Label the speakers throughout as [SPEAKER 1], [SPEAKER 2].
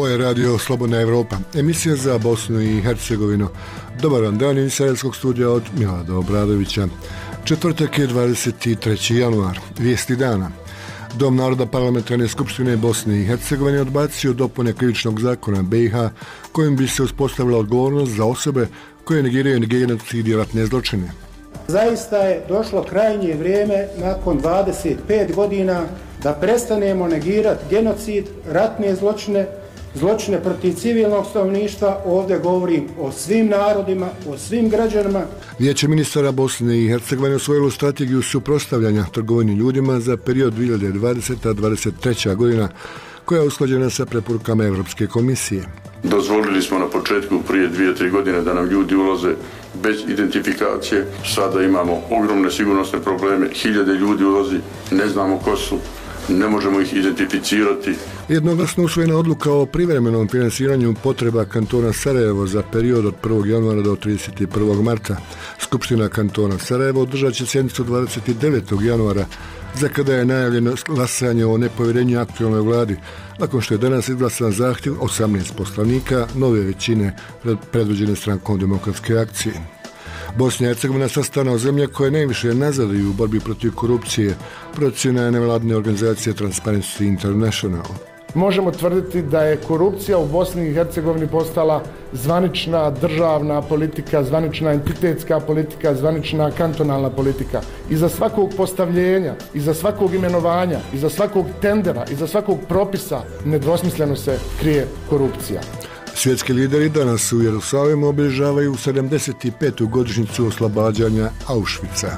[SPEAKER 1] Ovo je radio Slobodna Evropa, emisija za Bosnu i Hercegovinu. Dobar vam dan iz Sarajevskog studija od Milada Obradovića. Četvrtak je 23. januar, vijesti dana. Dom naroda Parlamentarne skupštine Bosne i Hercegovine odbacio dopune krivičnog zakona BiH kojim bi se uspostavila odgovornost za osobe koje negiraju genocid i ratne zločine.
[SPEAKER 2] Zaista je došlo krajnje vrijeme nakon 25 godina da prestanemo negirati genocid, ratne zločine, zločine protiv civilnog stanovništva. Ovdje govorim o svim narodima, o svim građanima.
[SPEAKER 1] Vijeće ministara Bosne i Hercegovine usvojilo strategiju suprotstavljanja trgovini ljudima za period 2020-2023. godina koja je usklađena sa preporukama Europske komisije.
[SPEAKER 3] Dozvolili smo na početku prije 2-3 godine da nam ljudi ulaze bez identifikacije. Sada imamo ogromne sigurnosne probleme, hiljade ljudi ulazi, ne znamo ko su, ne možemo ih identificirati.
[SPEAKER 1] Jednoglasno usvojena odluka o privremenom finansiranju potreba kantona Sarajevo za period od 1. januara do 31. marta. Skupština kantona Sarajevo održat će sjednicu 29. januara, za kada je najavljeno glasanje o nepovjerenju aktualnoj vladi, nakon što je danas izglasan zahtjev 18 poslanika nove većine predvođene strankom Demokratske akcije. Bosna i Hercegovina sastavna zemlja koja najviše nazaduju u borbi protiv korupcije, procjena je nevladine organizacije Transparency International.
[SPEAKER 4] Možemo tvrditi da je korupcija u Bosni i Hercegovini postala zvanična državna politika, zvanična entitetska politika, zvanična kantonalna politika. Iza svakog postavljenja, iza svakog imenovanja, iza svakog tendera, iza svakog propisa nedvosmisleno se krije korupcija.
[SPEAKER 1] Svjetski lideri danas u Jerusalimu obilježavaju 75. godišnjicu oslobađanja Auschwitza.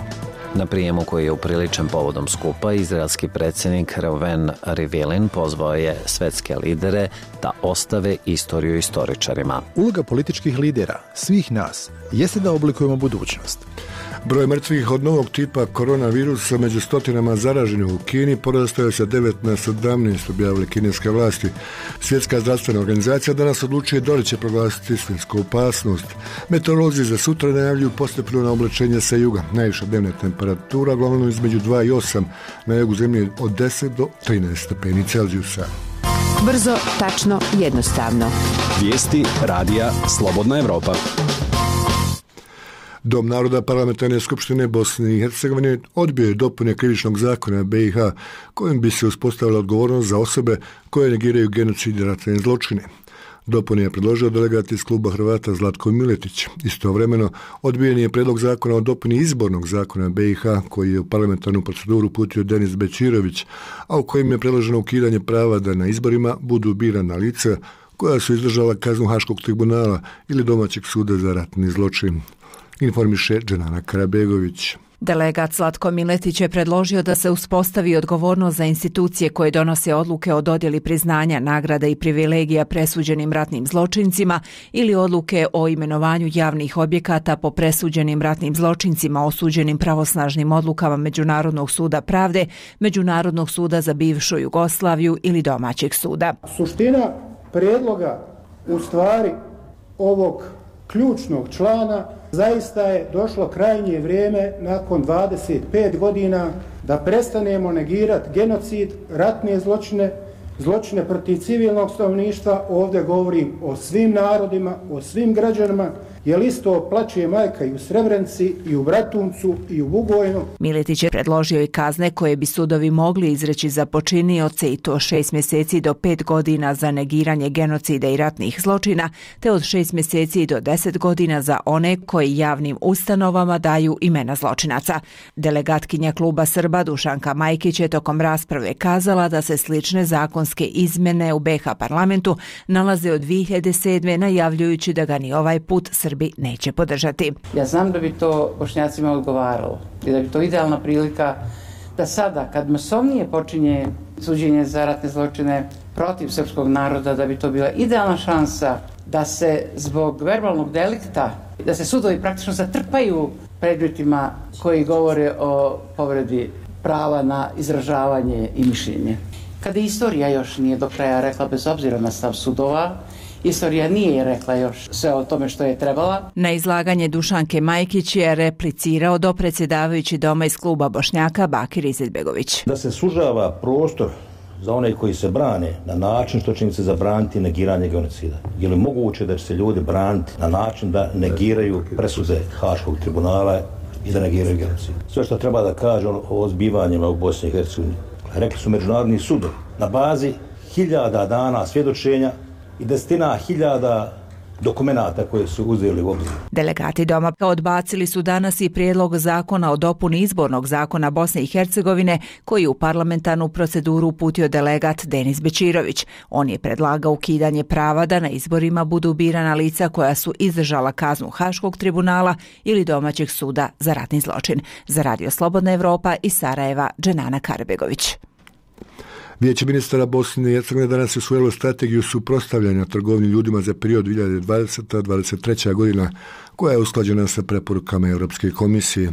[SPEAKER 5] Na prijemu koji je upriličen povodom skupa, izraelski predsjednik Reuven Rivlin pozvao je svjetske lidere da ostave istoriju istoričarima.
[SPEAKER 6] Uloga političkih lidera, svih nas, jeste da oblikujemo budućnost.
[SPEAKER 1] Broj mrtvih od novog tipa koronavirusa među stotinama zaraženih u Kini porastao je sa 9 na 17, objavile kineske vlasti. Svjetska zdravstvena organizacija danas odlučuje da li će proglasiti svjetsku opasnost. Meteorolozi za sutra najavljuju postepeno oblačenje sa juga. Najviša dnevna temperatura uglavnom između 2 i 8, na jugu zemlje od 10 do 13 stepeni Celzijusa.
[SPEAKER 7] Brzo, tačno, jednostavno.
[SPEAKER 8] Vijesti radija Slobodna Evropa.
[SPEAKER 1] Dom naroda Parlamentarne skupštine Bosne i Hercegovine odbio je dopune krivičnog zakona BiH kojim bi se uspostavila odgovornost za osobe koje negiraju genocid i ratne zločine. Dopune je predložio delegat iz kluba Hrvata Zlatko Miletić. Istovremeno odbijen je predlog zakona o dopuni izbornog zakona BiH koji je u parlamentarnu proceduru uputio Denis Bećirović, a u kojim je predloženo ukidanje prava da na izborima budu birana lica koja su izdržala kaznu Haškog tribunala ili domaćeg suda za ratni zločin. Informiše Dženana Karabegović.
[SPEAKER 7] Delegat Zlatko Miletić je predložio da se uspostavi odgovornost za institucije koje donose odluke o dodjeli priznanja, nagrada i privilegija presuđenim ratnim zločincima ili odluke o imenovanju javnih objekata po presuđenim ratnim zločincima osuđenim pravosnažnim odlukama Međunarodnog suda pravde, Međunarodnog suda za bivšu Jugoslaviju ili domaćeg suda.
[SPEAKER 2] Suština prijedloga u stvari ovog ključnog člana zaista je došlo krajnje vrijeme nakon 25 godina da prestanemo negirati genocid, ratne zločine, zločine protiv civilnog stanovništva. Ovdje govorim o svim narodima, o svim građanima, jer isto plaće majka i u Srebrenici, i u Bratuncu, i u Bugojnu.
[SPEAKER 7] Miletić je predložio i kazne koje bi sudovi mogli izreći za počinioce i to 6 mjeseci do 5 godina za negiranje genocida i ratnih zločina, te od 6 mjeseci do 10 godina za one koji javnim ustanovama daju imena zločinaca. Delegatkinja kluba Srba Dušanka Majkić je tokom rasprave kazala da se slične zakonske izmjene u BiH parlamentu nalaze od 2007. najavljujući da ga ni ovaj put Srbi neće podržati.
[SPEAKER 9] Ja znam da bi to Bošnjacima odgovaralo i da bi to idealna prilika da sada, kad masovnije počinje suđenje za ratne zločine protiv srpskog naroda, da bi to bila idealna šansa da se zbog verbalnog delikta, da se sudovi praktično zatrpaju predmetima koji govore o povredi prava na izražavanje i mišljenje. Kada istorija još nije do kraja rekla, bez obzira na stav sudova, istorija nije rekla još sve o tome što je trebala.
[SPEAKER 7] Na izlaganje Dušanke Majkić je replicirao dopredsjedavajući doma iz kluba Bošnjaka Bakir Izetbegović.
[SPEAKER 10] Da se sužava prostor za one koji se brane na način što će im se zabraniti negiranje genocida. Je li moguće da će se ljudi braniti na način da negiraju presude Haškog tribunala i da negiraju genocid? Sve što treba da kaže o zbivanjima u Bosni i Hercegovini, rekli su međunarodni sudovi, na bazi 1000 dana svjedočenja i desetina hiljada dokumenata koje su uzeli u obzir.
[SPEAKER 7] Delegati Doma odbacili su danas i prijedlog zakona o dopuni izbornog zakona Bosne i Hercegovine koji je u parlamentarnu proceduru uputio delegat Denis Bečirović. On je predlagao ukidanje prava da na izborima budu birana lica koja su izdržala kaznu Haškog tribunala ili domaćeg suda za ratni zločin. Za Radio Slobodna Evropa iz Sarajeva, Dženana Karbegović.
[SPEAKER 1] Vijeće ministara Bosne i Hercegovine danas je usvojilo strategiju suprotstavljanja trgovini ljudima za period 2020-2023. godina, koja je usklađena sa preporukama Europske komisije.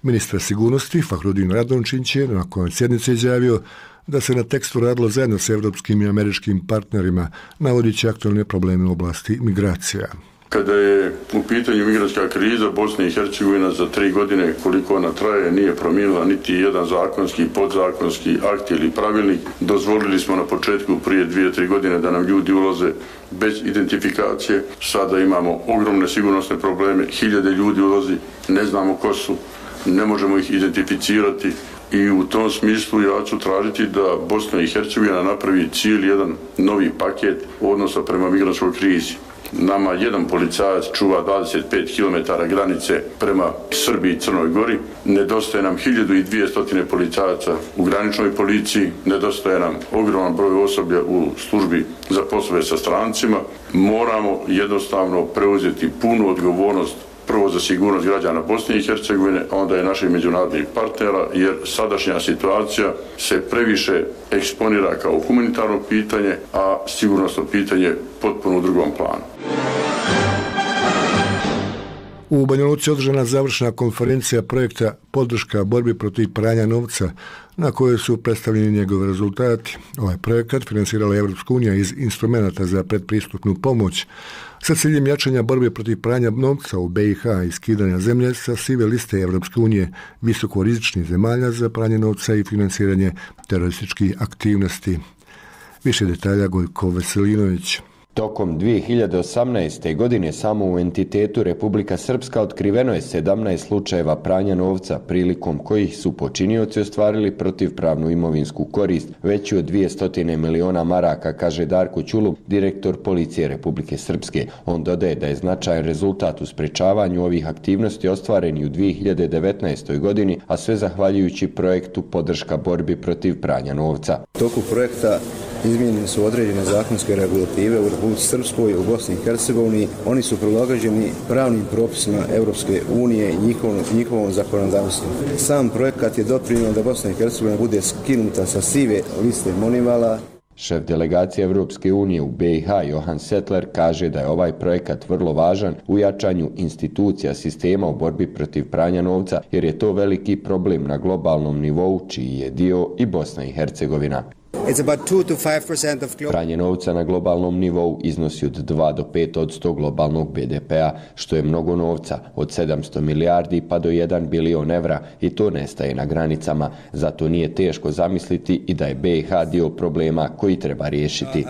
[SPEAKER 1] Ministar sigurnosti Fahrudin Radončić je nakon sjednice izjavio da se na tekstu radilo zajedno sa evropskim i američkim partnerima, navodići aktualne probleme u oblasti migracija.
[SPEAKER 3] Kada je u pitanju migrantska kriza, Bosna i Hercegovina za 3 godine koliko ona traje nije promijenila niti jedan zakonski, podzakonski akt ili pravilnik. Dozvolili smo na početku prije 2-3 godine da nam ljudi ulaze bez identifikacije. Sada imamo ogromne sigurnosne probleme, 1000 ljudi ulazi, ne znamo ko su, ne možemo ih identificirati. I u tom smislu ja ću tražiti da Bosna i Hercegovina napravi cijeli jedan novi paket odnosa prema migrantskoj krizi. Nama jedan policajac čuva 25 km granice prema Srbiji i Crnoj Gori. Nedostaje nam 1200 policajaca u graničnoj policiji. Nedostaje nam ogroman broj osoblja u službi za poslove sa strancima. Moramo jednostavno preuzeti punu odgovornost prvo za sigurnost građana Bosne i Hercegovine, a onda i naših međunarodnih partnera, jer sadašnja situacija se previše eksponira kao humanitarno pitanje, a sigurnosno pitanje potpuno u drugom planu.
[SPEAKER 1] U Banja Luci održana završna konferencija projekta Podrška borbi protiv pranja novca, na kojoj su predstavljeni njegove rezultati. Ovaj projekat finansirala je Evropska unija iz instrumenta za predpristupnu pomoć sa ciljem jačanja borbe protiv pranja novca u BiH i skidanja zemlje sa sive liste Evropske unije visokorizičnih zemalja za pranje novca i finansiranje terorističkih aktivnosti. Više detalja Gojko Veselinović.
[SPEAKER 11] Tokom 2018. godine samo u entitetu Republika Srpska otkriveno je 17 slučajeva pranja novca prilikom kojih su počinioci ostvarili protivpravnu imovinsku korist veću od 200 miliona maraka, kaže Darko Ćulub, direktor policije Republike Srpske. On dodaje da je značajan rezultat u sprečavanju ovih aktivnosti ostvaren i u 2019. godini, a sve zahvaljujući projektu Podrška borbi protiv pranja novca.
[SPEAKER 12] Toku projekta izmijenjene su određene zakonske regulative u Republici Srpskoj i u Bosni i Hercegovini. Oni su prilagođeni pravnim propisima Europske unije i njihovom zakonodavstvu. Sam projekat je doprinio da Bosna i Hercegovina bude skinuta sa sive liste Monivala.
[SPEAKER 11] Šef delegacije Evropske unije u BiH Johan Settler kaže da je ovaj projekat vrlo važan u jačanju institucija sistema u borbi protiv pranja novca, jer je to veliki problem na globalnom nivou, čiji je dio i Bosna i Hercegovina. Pranje novca na globalnom nivou iznosi od 2 do 5% globalnog BDP-a, što je mnogo novca, od 700 milijardi pa do 1 bilion evra, i to nestaje na granicama. Zato nije teško zamisliti i da je BiH dio problema koji treba riješiti.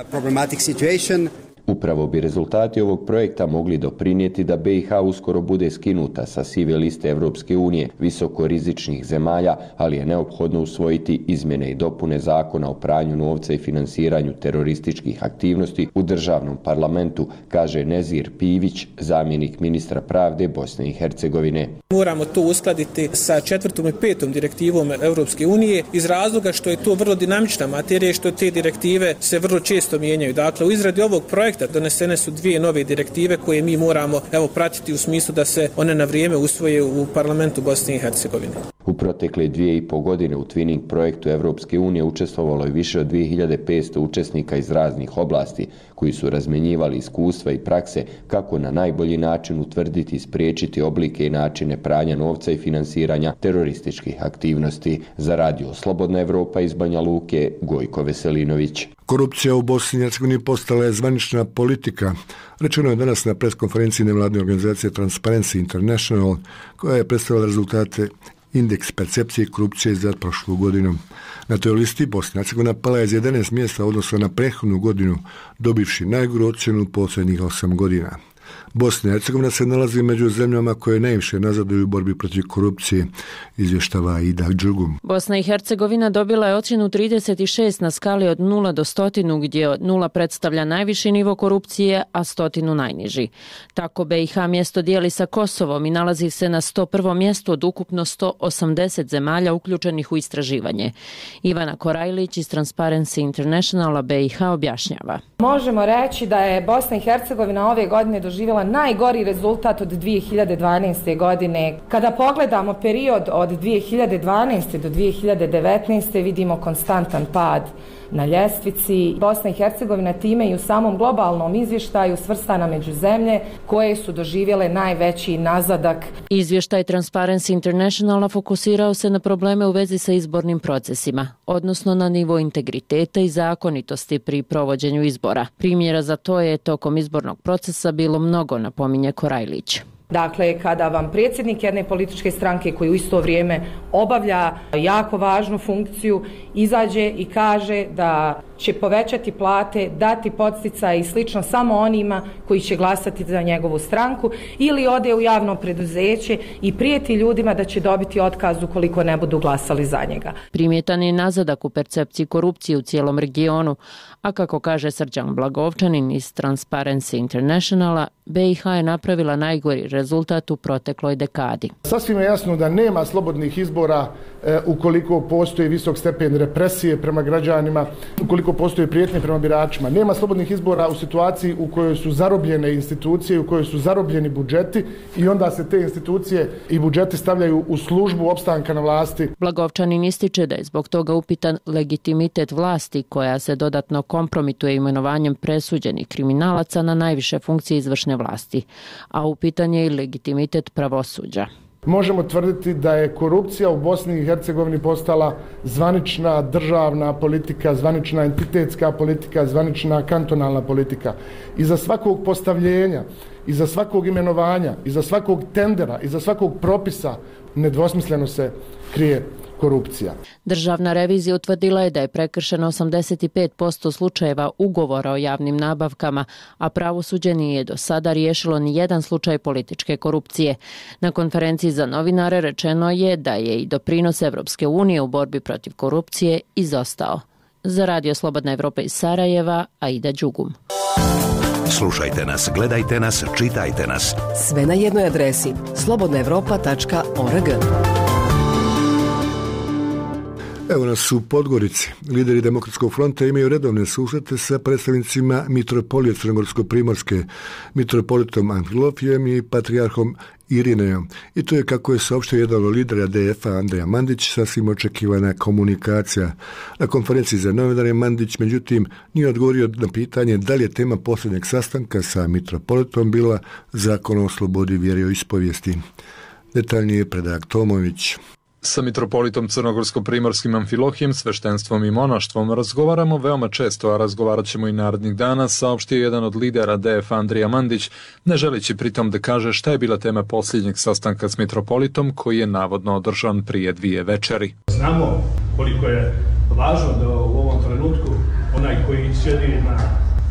[SPEAKER 11] Upravo bi rezultati ovog projekta mogli doprinijeti da BiH uskoro bude skinuta sa sive liste Evropske unije visokorizičnih zemalja, ali je neophodno usvojiti izmjene i dopune zakona o pranju novca i finansiranju terorističkih aktivnosti u državnom parlamentu, kaže Nezir Pivić, zamjenik ministra pravde Bosne i Hercegovine.
[SPEAKER 13] Moramo to uskladiti sa 4. i 5. direktivom Evropske unije iz razloga što je to vrlo dinamična materija i što te direktive se vrlo često mijenjaju. Dakle, u izradi ovog projekta donesene su 2 nove direktive koje mi moramo pratiti u smislu da se one na vrijeme usvoje u parlamentu Bosne i Hercegovine.
[SPEAKER 11] U protekle 2,5 godine u Twinning projektu Evropske unije učestvovalo je više od 2500 učesnika iz raznih oblasti koji su razmenjivali iskustva i prakse kako na najbolji način utvrditi i spriječiti oblike i načine pranja novca i finansiranja terorističkih aktivnosti. Za Radio Slobodna Evropa iz Banja Luke, Gojko Veselinović.
[SPEAKER 1] Korupcija u Bosni i Hercegovini postala je zvanična politika. Rečeno je danas na preskonferenciji nevladne organizacije Transparency International, koja je predstavila rezultate indeks percepcije korupcije za prošlu godinu. Na toj listi Bosna i Hercegovina pala je za 11 mjesta odnosno na prethodnu godinu, dobivši najgoru ocjenu posljednjih 8 godina. Bosna i Hercegovina se nalazi među zemljama koje najviše nazaduju u borbi protiv korupcije, izvještava Ida Đugum.
[SPEAKER 14] Bosna i Hercegovina dobila je ocjenu 36 na skali od 0 do 100, gdje 0 predstavlja najviši nivo korupcije, a 100 najniži. Tako BiH mjesto dijeli sa Kosovom i nalazi se na 101. mjestu od ukupno 180 zemalja uključenih u istraživanje. Ivana Korajlić iz Transparency Internationala BiH objašnjava.
[SPEAKER 15] Možemo reći da je Bosna i Hercegovina ove godine doživjela najgori rezultat od 2012. godine. Kada pogledamo period od 2012. do 2019. vidimo konstantan pad na ljestvici. Bosna i Hercegovina time i u samom globalnom izvještaju svrstana među zemlje koje su doživjele najveći nazadak.
[SPEAKER 14] Izvještaj Transparency Internationala fokusirao se na probleme u vezi sa izbornim procesima, odnosno na nivo integriteta i zakonitosti pri provođenju izbora. Primjera za to je tokom izbornog procesa bilo mnogo, napominje Korajlić.
[SPEAKER 15] Dakle, kada vam predsjednik jedne političke stranke koji u isto vrijeme obavlja jako važnu funkciju izađe i kaže da će povećati plate, dati podsticaj i slično samo onima koji će glasati za njegovu stranku, ili ode u javno preduzeće i prijeti ljudima da će dobiti otkaz ukoliko ne budu glasali za njega.
[SPEAKER 14] Primjetan je nazadak u percepciji korupcije u cijelom regionu, a kako kaže Srđan Blagovčanin iz Transparency Internationala, BiH je napravila najgori rezultat u protekloj dekadi.
[SPEAKER 4] Sasvim je jasno da nema slobodnih izbora ukoliko postoji visok stepen represije prema građanima, ukoliko postoje prijetnje prema biračima. Nema slobodnih izbora u situaciji u kojoj su zarobljene institucije, u kojoj su zarobljeni budžeti i onda se te institucije i budžeti stavljaju u službu opstanka na vlasti.
[SPEAKER 14] Blagovčanin ističe da je zbog toga upitan legitimitet vlasti koja se dodatno kompromituje imenovanjem presuđenih kriminalaca na najviše funkcije izvršne vlasti, a upitan je i legitimitet pravosuđa.
[SPEAKER 4] Možemo tvrditi da je korupcija u Bosni i Hercegovini postala zvanična državna politika, zvanična entitetska politika, zvanična kantonalna politika. Iza svakog postavljenja, iza svakog imenovanja, iza svakog tendera, iza svakog propisa nedvosmisleno se krije korupcija.
[SPEAKER 14] Državna revizija utvrdila je da je prekršeno 85% slučajeva ugovora o javnim nabavkama, a pravosuđe nije do sada riješilo ni jedan slučaj političke korupcije. Na konferenciji za novinare rečeno je da je i doprinos Evropske unije u borbi protiv korupcije izostao. Za Radio Slobodna Evropa iz Sarajeva, Aida Đugum.
[SPEAKER 16] Slušajte nas, gledajte nas, čitajte nas.
[SPEAKER 17] Sve na jednoj adresi slobodnaevropa.org.
[SPEAKER 1] Evo nas u Podgorici. Lideri Demokratskog fronta imaju redovne susrete sa predstavnicima Mitropolije Crnogorsko-primorske, mitropolitom Amfilohijem i patrijarhom Irinejom. I to je, kako je saopštio jedan od lidera DF-a Andrija Mandić, sasvim očekivana komunikacija. Na konferenciji za novinare Mandić, međutim, nije odgovorio na pitanje da li je tema posljednjeg sastanka sa mitropolitom bila Zakon o slobodi vjeroispovijesti. Detaljnije Predrag Tomović.
[SPEAKER 18] Sa mitropolitom Crnogorsko-primorskim Amfilohijem, sveštenstvom i monaštvom razgovaramo veoma često, a razgovarat ćemo i narednih dana, saopštio jedan od lidera DF Andrija Mandić, ne želeći pritom da kaže šta je bila tema posljednjeg sastanka s mitropolitom koji je navodno održan prije 2 večeri.
[SPEAKER 19] Znamo koliko je važno da u ovom trenutku onaj koji sjedi na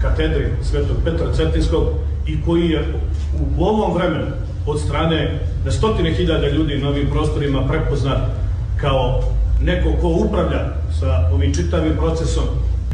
[SPEAKER 19] katedri Svetog Petra Cetinskog i koji je u ovom vremenu od strane na stotine hiljada ljudi na ovim prostorima prepoznat kao neko ko upravlja sa ovim čitavim procesom,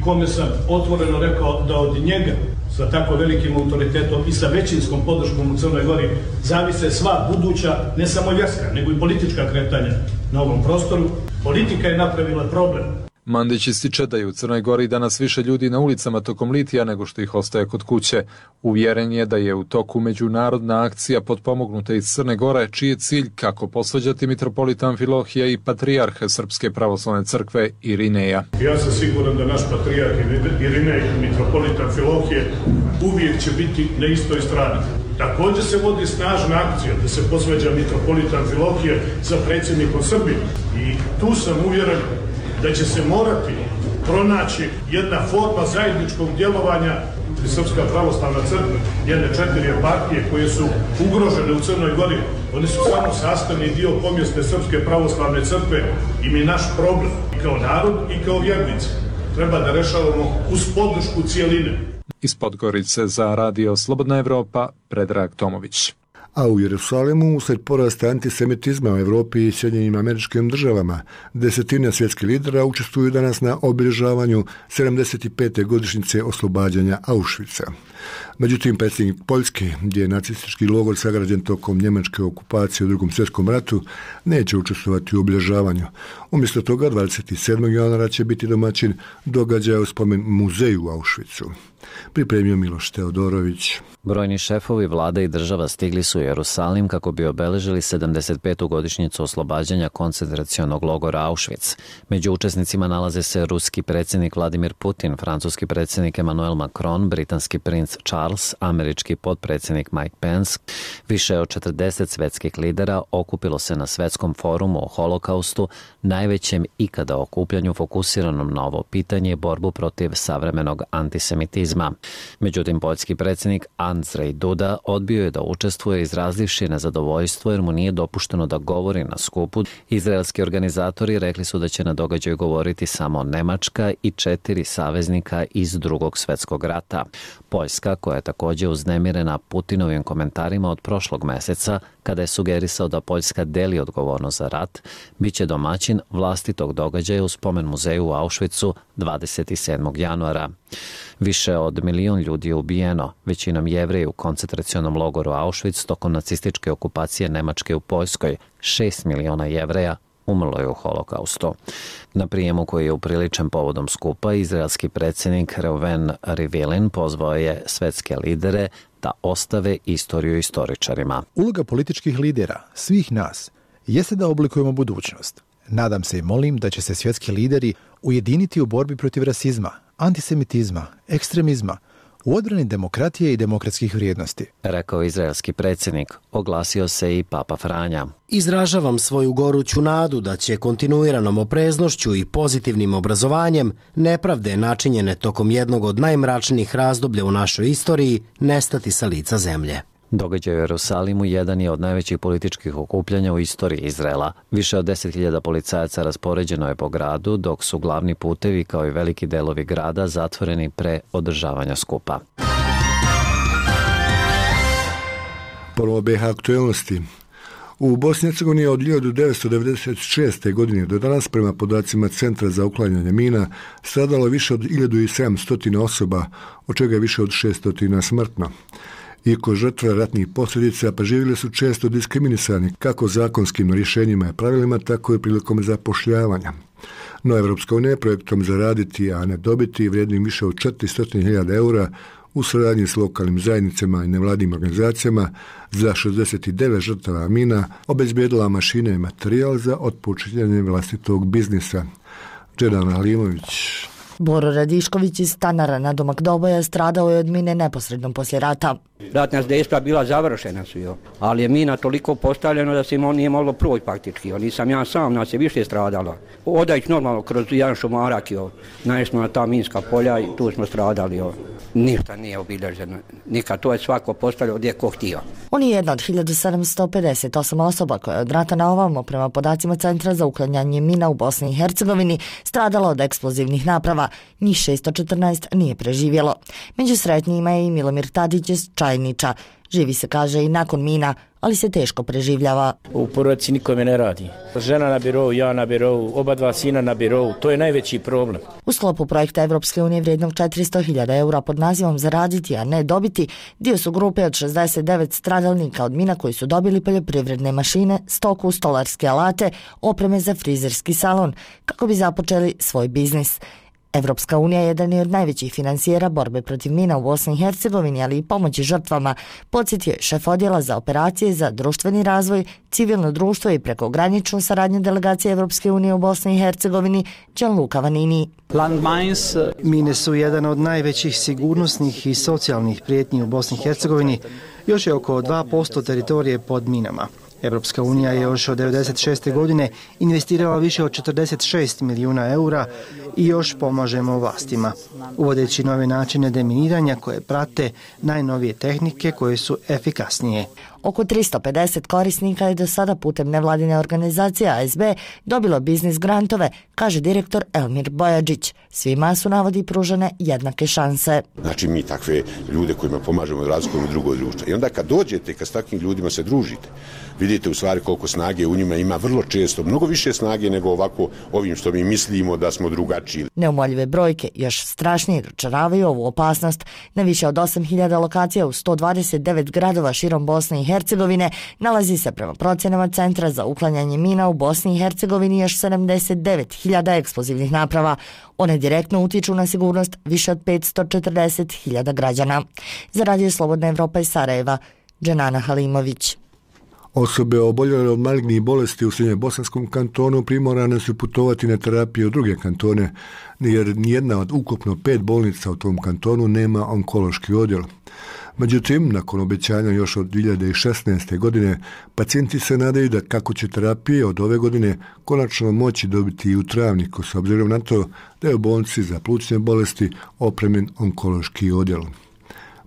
[SPEAKER 19] kome sam otvoreno rekao da od njega sa tako velikim autoritetom i sa većinskom podrškom u Crnoj Gori zavise sva buduća, ne samo vjerska, nego i politička kretanja na ovom prostoru. Politika je napravila problem.
[SPEAKER 18] Mandić ističe da je u Crnoj Gori danas više ljudi na ulicama tokom litija nego što ih ostaje kod kuće. Uvjeren je da je u toku međunarodna akcija potpomognuta iz Crne Gore, čiji je cilj kako posvađati mitropolita Amfilohija i patrijarha Srpske pravoslavne crkve Irineja.
[SPEAKER 19] Ja sam siguran da naš patrijarh Irinej i mitropolita Amfilohije uvijek će biti na istoj strani. Također se vodi snažna akcija da se posvađa mitropolita Amfilohije sa predsjednikom Srbije. I tu sam uvjeren da će se morati pronaći jedna forma zajedničkog djelovanja i Srpska pravoslavna crkva, jedne 4 eparhije koje su ugrožene u Crnoj Gori, one su samo sastavni dio pomjesne Srpske pravoslavne crkve i mi naš problem i kao narod i kao vjernici treba da rešavamo uz podršku cijeline.
[SPEAKER 18] Iz Podgorice za Radio Slobodna Evropa, Predrag Tomović.
[SPEAKER 1] A u Jerusalimu, usled porasta antisemitizma u Evropi i Sjedinjenim Američkim Državama, desetine svjetskih lidera učestvuju danas na obilježavanju 75. godišnjice oslobađanja Auschwitza. Međutim, predsjednik Poljske, gdje je nacistički logor sagrađen tokom njemačke okupacije u Drugom svjetskom ratu, neće učestvovati u obilježavanju. Umjesto toga, 27. januara će biti domaćin događaja u spomen muzeju u Auschwitzu. Pripremio Miloš Teodorović.
[SPEAKER 5] Brojni šefovi vlada i država stigli su u Jerusalim kako bi obeležili 75. godišnjicu oslobađanja koncentracionog logora Auschwitz. Među učesnicima nalaze se ruski predsjednik Vladimir Putin, francuski predsjednik Emmanuel Macron, britanski princ Charles, američki potpredsjednik Mike Pence. Više od 40 svjetskih lidera okupilo se na svetskom forumu o holokaustu, najvećem ikada okupljanju fokusiranom na ovo pitanje i borbu protiv savremenog antisemitizma. Međutim, poljski predsjednik Andrzej Duda odbio je da učestvuje izrazivši nezadovoljstvo jer mu nije dopušteno da govori na skupu. Izraelski organizatori rekli su da će na događaju govoriti samo Nemačka i 4 saveznika iz Drugog svjetskog rata. Poljska, koja je također uznemirena Putinovim komentarima od prošlog mjeseca, kada je sugerisao da Poljska deli odgovornost za rat, bit će domaćin vlastitog događaja u spomen muzeju u Auschwitzu 27. januara. Više od 1 milion ljudi je ubijeno, većinom Jevreji u koncentracionom logoru Auschwitz tokom nacističke okupacije Nemačke u Poljskoj. 6 miliona Jevreja umrlo je u holokaustu. Na prijemu koji je upriličen povodom skupa, izraelski predsjednik Reuven Rivlin pozvao je svetske lidere da ostave istoriju istoričarima.
[SPEAKER 6] Uloga političkih lidera, svih nas, jeste da oblikujemo budućnost. Nadam se i molim da će se svjetski lideri ujediniti u borbi protiv rasizma, antisemitizma, ekstremizma, u odbrani demokratije i demokratskih vrijednosti.
[SPEAKER 5] Rekao izraelski predsjednik, oglasio se i Papa Franja.
[SPEAKER 20] Izražavam svoju goruću nadu da će kontinuiranom opreznošću i pozitivnim obrazovanjem nepravde načinjene tokom jednog od najmračnijih razdoblja u našoj istoriji nestati sa lica zemlje.
[SPEAKER 5] Događaj u Jerusalimu jedan je od najvećih političkih okupljanja u istoriji Izraela. Više od 10.000 policajaca raspoređeno je po gradu, dok su glavni putevi kao i veliki delovi grada zatvoreni pre održavanja skupa.
[SPEAKER 1] Ponovo BiH aktuelnosti. U Bosni i Hercegovini od 1996. godine do danas, prema podacima Centra za uklanjanje mina, stradalo više od 1700 osoba, od čega je više od 600 smrtno. Iako žrtve ratnih posljedica preživjeli su često diskriminisani kako zakonskim rješenjima i pravilima, tako i prilikom zapošljavanja. No, Evropska unija projektom Zaraditi, a ne dobiti, vrijednim više od 400.000 eura u suradnji s lokalnim zajednicama i nevladnim organizacijama za 69 žrtava mina obezbijedila mašine i materijal za otpočinjanje vlastitog biznisa. Džedan Halimović.
[SPEAKER 21] Boro Radišković iz Stanara na domak Doboja stradao je od mine neposredno poslije rata.
[SPEAKER 22] Ratna dejstva bila završena su, ali je mina toliko postavljena da se nije moglo proći praktički. Nisam ja sam, nas je više stradalo. Odajući normalno kroz jedan šumarak, naišli smo na ta minska polja i tu smo stradali. Ništa nije obilježeno. Nikad, to je svako postavljao gdje ko htio.
[SPEAKER 21] On je jedna od 1758 osoba koja je od rata na ovamo, prema podacima Centra za uklanjanje mina u Bosni i Hercegovini, stradalo od eksplozivnih naprava. Njih 614 nije preživjelo. Među sretnijima je i Milomir Tadić iz Čajniča. Živi se, kaže, i nakon mina, ali se teško preživljava.
[SPEAKER 23] U porodici nikome ne radi. Žena na birovu, ja na birovu, oba dva sina na birovu. To je najveći problem.
[SPEAKER 21] U sklopu projekta Evropske unije vrijednog 400.000 eura pod nazivom Zaraditi, a ne dobiti, dio su grupe od 69 stradalnika od mina koji su dobili poljoprivredne mašine, stoku, stolarske alate, opreme za frizerski salon, kako bi započeli svoj biznis. Evropska unija je jedan od najvećih finansijera borbe protiv mina u Bosni i Hercegovini, ali i pomoći žrtvama, podsjetio je šef odjela za operacije za društveni razvoj, civilno društvo i prekograničnu saradnju delegacije Evropske unije u Bosni i Hercegovini, Gianluca Vanini.
[SPEAKER 24] Mine su jedan od najvećih sigurnosnih i socijalnih prijetnji u Bosni i Hercegovini
[SPEAKER 2] Još je oko 2% teritorije pod minama. Europska unija je još od 1996. godine investirala više od 46 milijuna eura i još pomažemo vlastima, uvodeći nove načine deminiranja koje prate najnovije tehnike koje su efikasnije.
[SPEAKER 21] Oko 350 korisnika je do sada putem nevladine organizacije ASB dobilo biznis grantove, kaže direktor Elmir Bojađić. Svima su, navodi, pružene jednake šanse.
[SPEAKER 8] Znači mi takve ljude kojima pomažemo razlikujemo drugo društvo. I onda kad dođete, kad s takvim ljudima se družite, vidite u stvari koliko snage u njima ima, vrlo često, mnogo više snage nego ovako ovim što mi mislimo da smo drugačiji.
[SPEAKER 21] Neumoljive brojke još strašnije dočaravaju ovu opasnost. Na više od 8000 lokacija u 129 gradova širom Bosne i Hercegovine nalazi se prema procjenama Centra za uklanjanje mina u Bosni i Hercegovini još 79.000 eksplozivnih naprava. One direktno utiču na sigurnost više od 540.000 građana. Za Radio Slobodna Evropa iz Sarajeva, Dženana Halimović.
[SPEAKER 1] Osobe oboljele od malignih bolesti u Srednjobosanskom kantonu primorane su putovati na terapiju u druge kantone, jer nijedna od ukupno 5 bolnica u tom kantonu nema onkološki odjel. Međutim, nakon obećanja još od 2016. godine, pacijenti se nadaju da kako će terapije od ove godine konačno moći dobiti i u Travniku, s obzirom na to da je u bolnici za plućne bolesti opremljen onkološki odjel.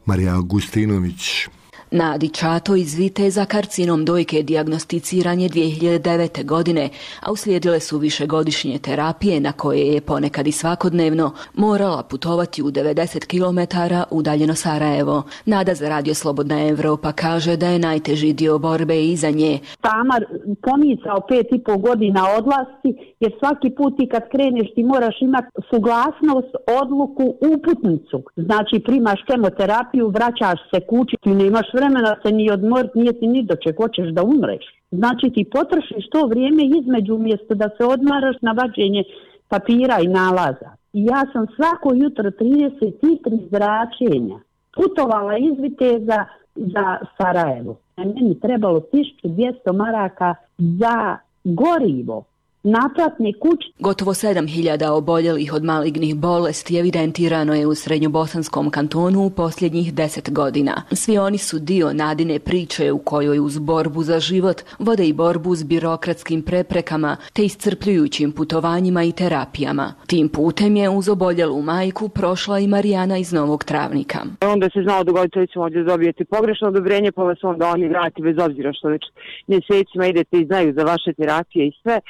[SPEAKER 1] Marija Augustinović.
[SPEAKER 9] Nadi Čato iz Viteza karcinom dojke dijagnosticiran je 2009. godine, a uslijedile su višegodišnje terapije na koje je ponekad i svakodnevno morala putovati u 90 km udaljeno Sarajevo. Nada za Radio Slobodna Evropa kaže da je najteži dio borbe iza nje.
[SPEAKER 24] Tamar pomicao 5,5 godina odlasci, jer svaki put ti kad kreneš ti moraš imati suglasnost, odluku, uputnicu. Znači primaš kemoterapiju, vraćaš se kući, ti nemaš vremena se ni odmoriti, nije ti ni do čeg, hoćeš da umreš. Znači ti potrošiš to vrijeme između umjesto da se odmaraš na vađenje papira i nalaza. I ja sam svako jutro 33 zračenja putovala iz Viteza za Sarajevo. Meni trebalo 1200 maraka za gorivo. Naplatne kuće.
[SPEAKER 9] Gotovo 7.000 oboljelih od malignih bolesti evidentirano je u Srednjobosanskom kantonu u posljednjih 10 godina. Svi oni su dio Nadine priče u kojoj uz borbu za život vode i borbu s birokratskim preprekama te iscrpljujućim putovanjima i terapijama. Tim putem je uz oboljelu majku prošla i Marijana iz Novog Travnika.
[SPEAKER 25] Onda se znao dogoditi recimo ovdje dobijete pogrešno odobrenje, pa vas onda oni vrati bez obzira što već mjesecima idete i znaju za vaše terapije i sve.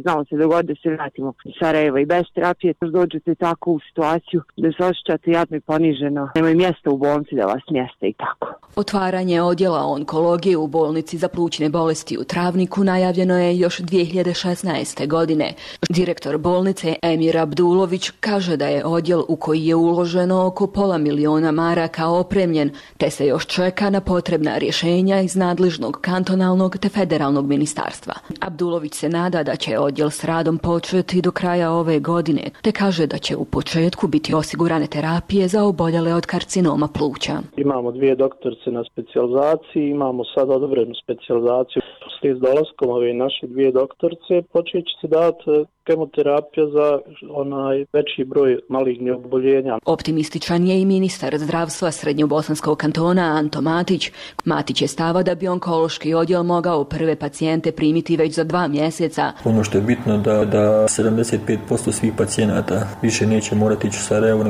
[SPEAKER 25] Znamo se dogoditi da se vratimo iz Sarajeva i bez terapije, dođete tako u situaciju da se osjećate jadno i poniženo. Nema mjesta u bolnici da vas mjeste i tako.
[SPEAKER 9] Otvaranje odjela onkologije u bolnici za plućne bolesti u Travniku najavljeno je još 2016. godine. Direktor bolnice Emir Abdulović kaže da je odjel u koji je uloženo oko $500.000 maraka opremljen, te se još čeka na potrebna rješenja iz nadležnog kantonalnog te federalnog ministarstva. Abdulović se nada da će odjel s radom početi do kraja ove godine, te kaže da će u početku biti osigurane terapije za oboljele od karcinoma pluća.
[SPEAKER 26] Imamo 2 doktorice na specijalizaciji, imamo sad odobrenu specijalizaciju. S dolaskom ove naše 2 doktorice počet će se dati kemoterapija za onaj veći broj malignih oboljenja.
[SPEAKER 9] Optimističan je i ministar zdravstva Srednjobosanskog kantona Anto Matić. Matić je stava da bi onkološki odjel mogao prve pacijente primiti već za 2 mjeseca.
[SPEAKER 27] Ono što je bitno da 75% svih pacijenata više neće morati ići u Sarajevo,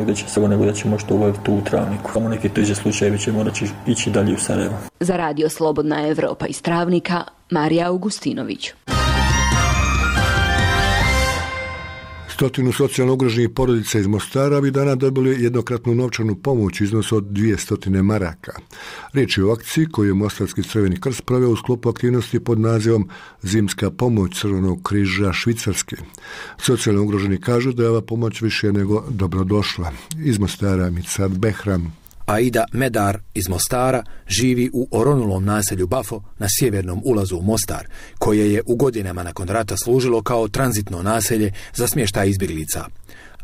[SPEAKER 27] nego da će možda uvati tu u Travniku. Samo neki teže slučajevi će morati ići dalje u Sarajevo.
[SPEAKER 9] Za Radio Slobodna Evropa iz Travnika, Marija Augustinović.
[SPEAKER 1] 100 socijalno ugroženih porodica iz Mostara ovih dana dobili jednokratnu novčanu pomoć u iznosu od 200 maraka. Riječ je o akciji koju je Mostarski Crveni krst proveo u sklopu aktivnosti pod nazivom Zimska pomoć Crvenog križa Švicarske. Socijalno ugroženi kažu da je ova pomoć više nego dobrodošla. Iz Mostara Mirsad Behram.
[SPEAKER 28] Aida Medar iz Mostara živi u oronulom naselju Bafo na sjevernom ulazu u Mostar, koje je u godinama nakon rata služilo kao tranzitno naselje za smještaj izbjeglica.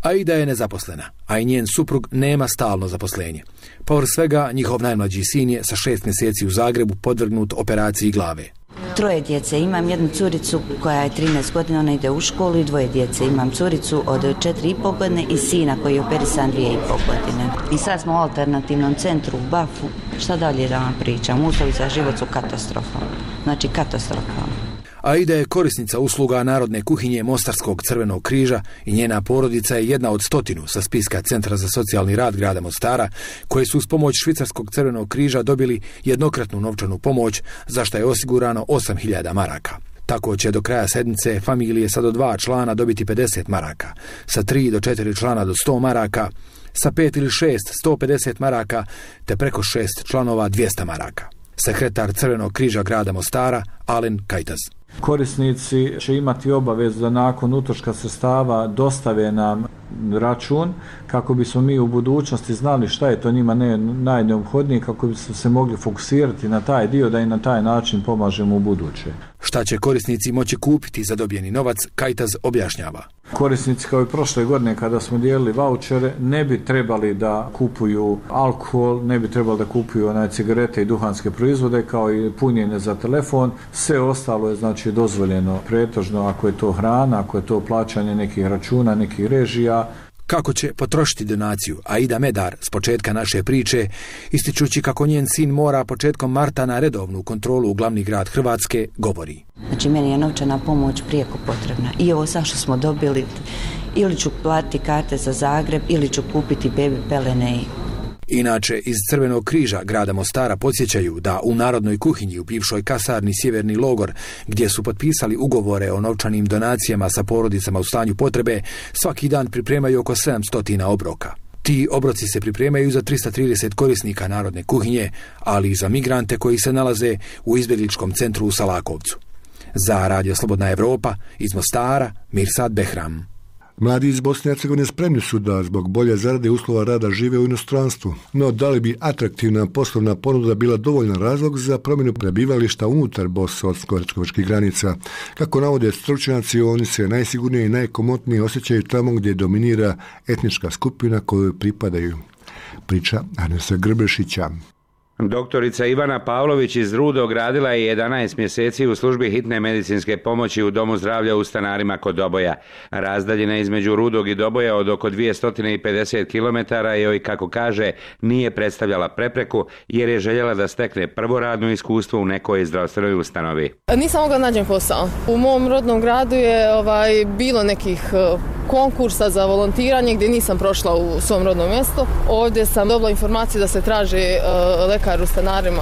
[SPEAKER 28] Aida je nezaposlena, a i njen suprug nema stalno zaposlenje. Povrh svega, njihov najmlađi sin je sa 6 mjeseci u Zagrebu podvrgnut operaciji glave.
[SPEAKER 3] 3 djece. Imam jednu curicu koja je 13 godina, ona ide u školu, i 2 djece. Imam curicu od 4,5 godine i sina koji je operisan 2,5 godine. I sad smo u alternativnom centru u Bafu. Šta dalje da vam pričam? Uslovi za život su katastrofalni. Znači katastrofalni.
[SPEAKER 28] Aida je korisnica usluga Narodne kuhinje Mostarskog Crvenog križa i njena porodica je jedna od 100 sa spiska Centra za socijalni rad grada Mostara, koje su uz pomoć Švicarskog Crvenog križa dobili jednokratnu novčanu pomoć, za što je osigurano 8.000 maraka. Tako će do kraja sedmice familije sa do 2 člana dobiti 50 maraka, sa 3 do 4 člana do 100 maraka, sa 5 ili 6 150 maraka, te preko 6 članova 200 maraka. Sekretar Crvenog križa grada Mostara, Alen Kajtaz.
[SPEAKER 4] Korisnici će imati obavezu da nakon utroška sredstava dostave nam račun kako bismo mi u budućnosti znali šta je to njima najneophodnije, kako bismo se mogli fokusirati na taj dio da i na taj način pomažemo u buduće.
[SPEAKER 28] Šta će korisnici moći kupiti za dobijeni novac, Kajtaz objašnjava.
[SPEAKER 4] Korisnici kao i prošle godine kada smo dijelili vaučere ne bi trebali da kupuju alkohol, ne bi trebali da kupuju cigarete i duhanske proizvode kao i punjenje za telefon. Sve ostalo je znači dozvoljeno pretežno ako je to hrana, ako je to plaćanje nekih računa, nekih režija.
[SPEAKER 28] Kako će potrošiti donaciju, Aida Medar s početka naše priče, ističući kako njen sin mora početkom marta na redovnu kontrolu u glavni grad Hrvatske, govori.
[SPEAKER 3] Znači meni je novčana pomoć prijeko potrebna i ovo sad što smo dobili, ili ću platiti karte za Zagreb ili ću kupiti bebi pelene.
[SPEAKER 28] Inače, iz Crvenog križa grada Mostara podsjećaju da u Narodnoj kuhinji u bivšoj kasarni Sjeverni logor, gdje su potpisali ugovore o novčanim donacijama sa porodicama u stanju potrebe, svaki dan pripremaju oko 700 obroka. Ti obroci se pripremaju za 330 korisnika Narodne kuhinje, ali i za migrante koji se nalaze u izbjegličkom centru u Salakovcu. Za Radio Slobodna Evropa, iz Mostara, Mirsad Behram.
[SPEAKER 1] Mladi iz Bosne i Hercegovine spremni su da zbog bolje zarade uslova rada žive u inostranstvu, no da li bi atraktivna poslovna ponuda bila dovoljan razlog za promjenu prebivališta unutar bosansko-hercegovačkih granica? Kako navode stručnjaci, oni se najsigurnije i najkomotnije osjećaju tamo gdje dominira etnička skupina kojoj pripadaju. Priča Arnesa Grbešića.
[SPEAKER 7] Doktorica Ivana Pavlović iz Rudog radila je 11 mjeseci u službi hitne medicinske pomoći u Domu zdravlja u Stanarima kod Doboja. Razdaljina između Rudog i Doboja od oko 250 km joj, kako kaže, nije predstavljala prepreku jer je željela da stekne prvo radno iskustvo u nekoj zdravstvenoj ustanovi.
[SPEAKER 10] Nisam mogla nađem posao. U mom rodnom gradu je bilo nekih konkursa za volontiranje gdje nisam prošla u svom rodnom mjestu. Ovdje sam dobila informaciju da se traži lekar u Stanarima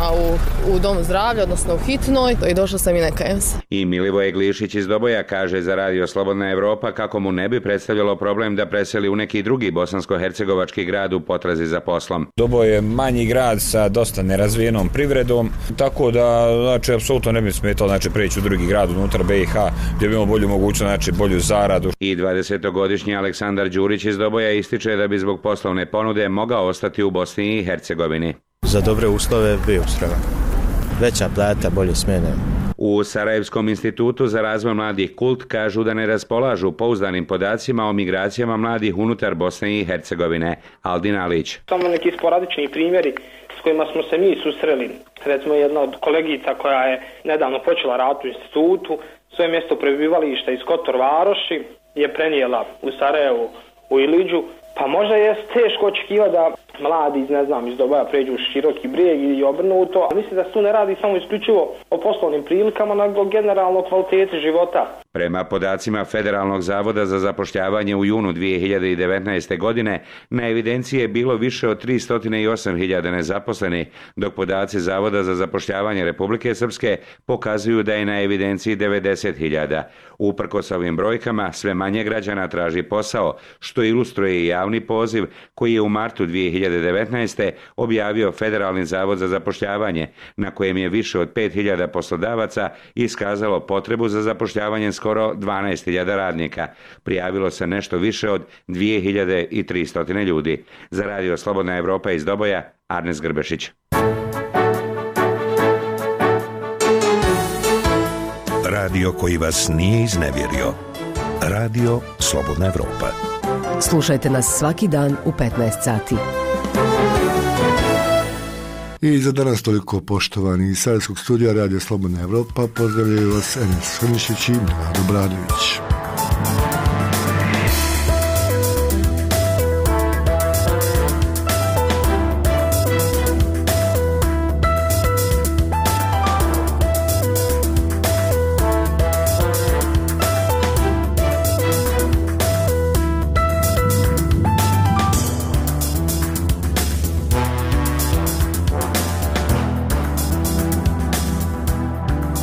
[SPEAKER 10] u Domu zdravlja, odnosno u hitnoj, i došla sam i nekajem se.
[SPEAKER 7] I Milivoje Glišić iz Doboja kaže za Radio Slobodna Evropa kako mu ne bi predstavljalo problem da preseli u neki drugi bosansko-hercegovački grad u potrazi za poslom.
[SPEAKER 11] Doboj je manji grad sa dosta nerazvijenom privredom, tako da apsolutno ne bi smetalo preći u drugi grad unutar BiH gdje bi imao bolju mogućnost, bolju zaradu.
[SPEAKER 7] I 20-godišnji Aleksandar Đurić iz Doboja ističe da bi zbog poslovne ponude mogao ostati u Bosni i Hercegovini.
[SPEAKER 12] Za dobre uslove bio spreman. Veća plata, bolje smjene.
[SPEAKER 7] U Sarajevskom institutu za razvoj mladih Kult kažu da ne raspolažu pouzdanim podacima o migracijama mladih unutar Bosne i Hercegovine. Aldin Alić.
[SPEAKER 13] Samo neki sporadični primjeri s kojima smo se mi susreli. Recimo jedna od kolegica koja je nedavno počela rad u institutu, svoje mjesto prebivališta iz Kotor Varoši je prenijela u Sarajevu, u Iliđu. Pa možda je teško očekivati da mladi iz Doboja pređu u Široki Brijeg i obrnuto. Mislim da se tu ne radi samo isključivo o poslovnim prilikama, nego generalno kvaliteti života.
[SPEAKER 7] Prema podacima Federalnog zavoda za zapošljavanje u junu 2019. godine na evidenciji je bilo više od 308.000 nezaposlenih, dok podaci Zavoda za zapošljavanje Republike Srpske pokazuju da je na evidenciji 90.000. Uprkos ovim brojkama, sve manje građana traži posao, što ilustruje i javni poziv koji je u martu 2019. objavio Federalni zavod za zapošljavanje, na kojem je više od 5.000 poslodavaca iskazalo potrebu za zapošljavanjem skoro 12.000 radnika. Prijavilo se nešto više od 2.300 ljudi. Za Radio Slobodna Evropa iz Doboja, Arnes Grbešić.
[SPEAKER 16] Radio koji vas nije iznevjerio. Radio Slobodna Evropa.
[SPEAKER 17] Slušajte nas svaki dan u 15 sati.
[SPEAKER 1] I za danas toliko, poštovani. Iz Sarajevskog studija Radio Slobodna Evropa pozdravljaju vas Enes Hrnišić i Milorad Obradović.